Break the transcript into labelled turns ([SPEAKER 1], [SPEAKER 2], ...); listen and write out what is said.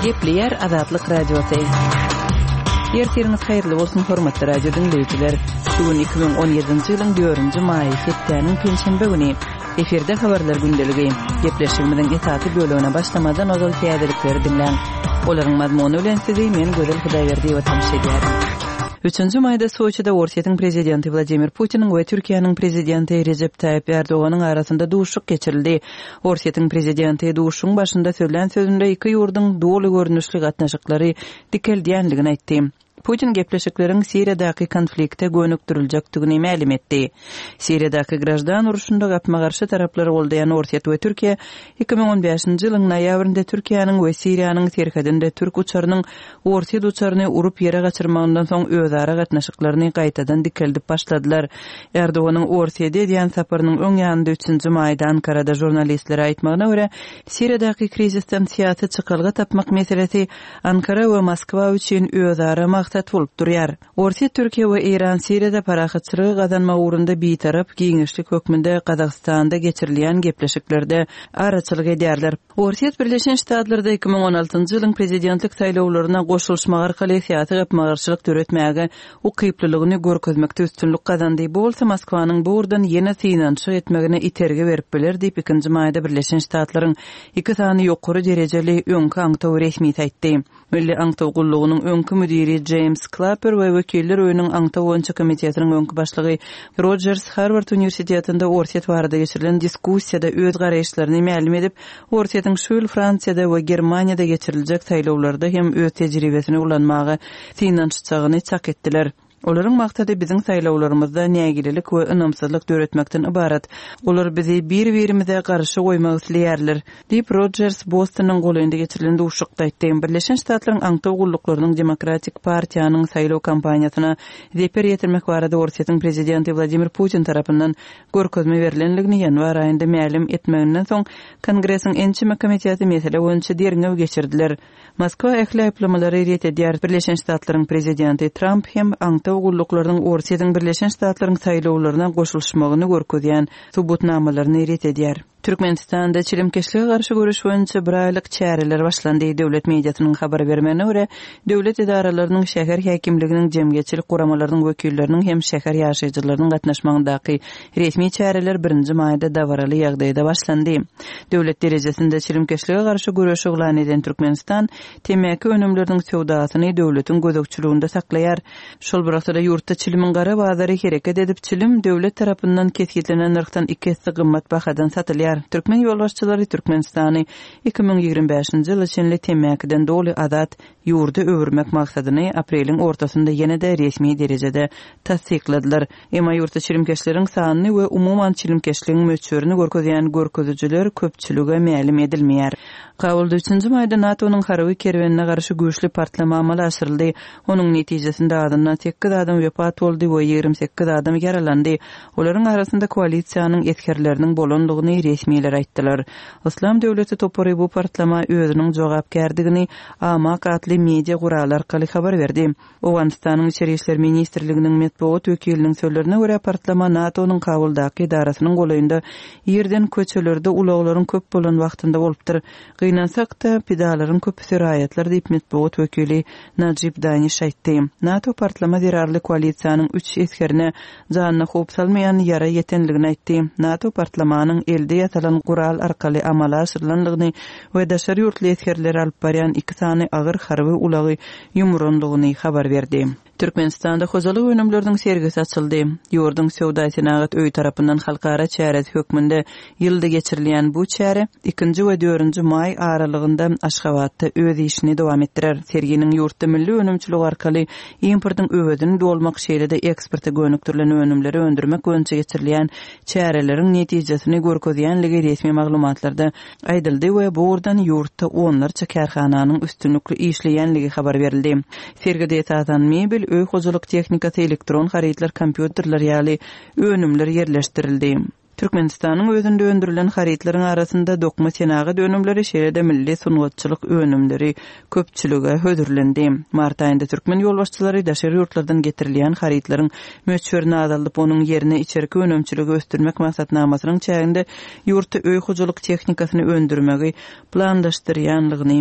[SPEAKER 1] Gepleýär Azatlyk Radiosy. Ertiriňiz haýyrly bolsun, hormatly radio diňleýjiler. Şu gün 2017-nji ýylyň 4-nji maýy, hepdäniň penşenbe güni. Efirde habarlar gündeligi. Gepleşigimiziň esasy bölegine başlamazdan ozal täzelikleri diňläň. Olaryň mazmuny bilen sizi men Gözel Hudaýberdiýewa tanyş edýärin. Üçünji maýda Soçide Orsýetiň prezidenti Wladimir Putiniň we Türkiýäniň prezidenti Rejep Taýyp Erdoganyň arasynda duşuşyk geçirildi. Orsýetiň prezidenti duşuşygyň başynda sözlän sözünde iki ýurduň doly görnüşli gatnaşyklary dikeldýändigini aýtdy. Putin gepleşikleriň Siriýadaky konflikte gönükdiriljekdigini mälim etdi. Siriýadaky graždan urşunda gapma-garşy taraplary goldaýan Orsýet we Türkiýe 2015-nji ýylyň noýabrynda Türkiýäniň we Siriýanyň serhedinde türk uçarynyň orsýet uçaryny urup ýere gaçyrmagyndan soň özara gatnaşyklaryny gaýtadan dikeldip başladylar. Erdoganyň Orsýede edýän saparynyň öň ýanynda üçünji maýda Ankarada žurnalistlere aýtmagyna görä, Siriýadaky krizisden syýasy çykalga tapmak meselesi Ankara we Moskwa üçin özara maksat bolup durýar. Orsýet, Türkiýe we Eýran Siriýada parahatçylygy gazanmak ugrunda bitarap giňişlik hökmünde Gazagystanda geçirilýän gepleşiklerde araçylyk edýärler. Orsýet Birleşen Ştatlarda 2016-njy ýylyň prezidentlik saýlawlaryna goşulyşmak arkaly syýasy gapma-garşylyk döretmäge ukyplylygyny görkezmekde üstünlik gazandy, bu bolsa Moskwanyň bu ugurdan ýene synanyşyk etmegine itergi berip biler diýip, ikinji maýda Birleşen Ştatlaryň iki sany ýokary derejeli öňki aňtaw resmisi aýtdy. Milli aňtaw gullugynyň öňki müdiri Jeýms Klapper we Wekiller öýüniň aňtaw boýunça komitetiniň öňki başlygy Rojers Harward uniwersitetinde Orsýet barada geçirilen diskussiýada öz garaýyşlaryny mälim edip, Orsýetiň şu ýyl Fransiýada we Germaniýada geçiriljek saýlawlarda hem öz tejribesini ulanmaga synanyşjagyny çak etdiler. Olaryň maksady biziň saýlawlarymyzda nägilelik we ynamsyzlyk döretmekden ybarat. Olar bizi bir-birimize garşy goýmak isleýärler, diýip, Rojers Bostonyň golaýynda geçirilen duşuşykda aýtdy. Birleşen Ştatlaryň aňtaw gulluklarynyň Demokratik partiýanyň saýlaw kampaniýasyna zeper ýetirmek barada Orsýetiň prezidenti Wladimir Putin tarapyndan görkezme berlendigini ýanwar aýynda mälim etmeginden soň, Kongresiň ençeme komiteti mesele boýunça derňew geçirdiler. Moskwa ähli aýyplamalary ret edýär. Birleşen Ştatlaryň prezidenti Tramp hem aňtaw gulluklarynyň Orsýetiň Birleşen Ştatlaryň saýlawlaryna goşulyşmagyny görkezýän subutnamalaryny ret edýär. Türkmenistanda çilimkeşlige garşy göreş boýunça bir aýlyk çäreler başlandy. Döwlet mediasynyň habar bermegine görä, döwlet edaralarynyň, şäher häkimliginiň, jemgyýetçilik guramalarynyň wekilleriniň hem şäher ýaşaýjylarynyň gatnaşmagyndaky Resmi çäreler birinji maýda dabaraly ýagdaýda başlandy. Döwlet derejesinde çilimkeşlige garşy göreş yglan eden Türkmenistan temmäki önümleriniň söwdasyny döwletiň gözegçiliginde saklaýar. Şol bir wagtda-da ýurtda çilimiň gara bazary hereket edip, çilim döwlet tarapyndan kesgitlenen nyrhdan iki esse gymmat bahadan satylýar. Türkmen ýolbaşçylary Türkmenistany 2025-nji ýyla çenli temmäkiden doly azat ýurda öwürmek maksadyny apreliň ortasynda ýene-de resmi derejede tassykladylar. Emma ýurtda çilimkeşleriň sanyny we umuman çilimkeşligiň möçberini görkezýän görkezijiler köpçülige mälim edilmeýär. Kabulda üçünji maýda NATO-nyň harby kerwenine garşy güýçli partlama amala aşyryldy. Onuň netijesinde azyndan sekiz adam wepat boldy we 28 adam ýaralandy. Olaryň arasynda koalisiýanyň esgerleriniň bolandygyny resmiler aýtdylar. Yslam döwleti topary bu partlama özüniň jogapkärdigini Amaq atly media guraly arkaly habar berdi. Owganystanyň Içeri işler ministrliginiň metbugat wekiliniň sözlerine görä, partlama NATO-nyň Kabuldaky edarasynyň golaýynda irden köçelerde ulaglaryň köp bolan wagtynda bolupdyr. Gynansak-da, pidalaryň köpüsi raýatlar diýip, metbugat wekili Najib Daniş aýtdy. NATO partlama zerarly koalisiýanyň üç esgerine janyna howp salmaýan ýara ýetenligini aýtdy. NATO partlamanyň elde ýasalan gural arkaly amala aşyrylandygyny we daşary ýurtly esgerleri alyp barýan iki sany agyr harby ulagy ýumurandygyny habar berdi. Türkmenistanda hojalyk önümleriniň sergisi açyldy. Ýurduň Söwda-senagat öýi tarapyndan halkara çäresi hökmünde ýylda geçirilýän bu çäre ikinji we dördünji maý aralygynda Aşgabatda öz işini dowam etdirer. Serginiň ýurtda milli önümçilik arkaly importyň öwezini dolmak, şeýle-de eksporta gönükdirilen önümleri öndürmek boýunça geçirilýän çäreleriň netijesini görkezýänligi resmi maglumatlarda aýdyldy we bu ugurdan ýurtda onlarça kärhananyň üstünlikli işleýänligi habar berildi. Sergide esasan mebel, öý hojalyk tehnikasy, elektron harytlar, kompýuterler ýaly önümler ýerleşdirildi. Türkmenistanyň özünde öndürilen harytlaryň arasynda dokma senagat önümleri, şeýle-de milli sungatçylyk önümleri köpçülige hödürlendi. Mart aýynda türkmen ýolbaşçylary daşary ýurtlardan getirilýän harytlaryň möçberini azaldyp, onuň ýerine içerki önümçiligi ösdürmek maksatnamasynyň çäginde ýurtda öý hojalyk tehnikasyny öndürmegi planlaşdyrýanlygyny.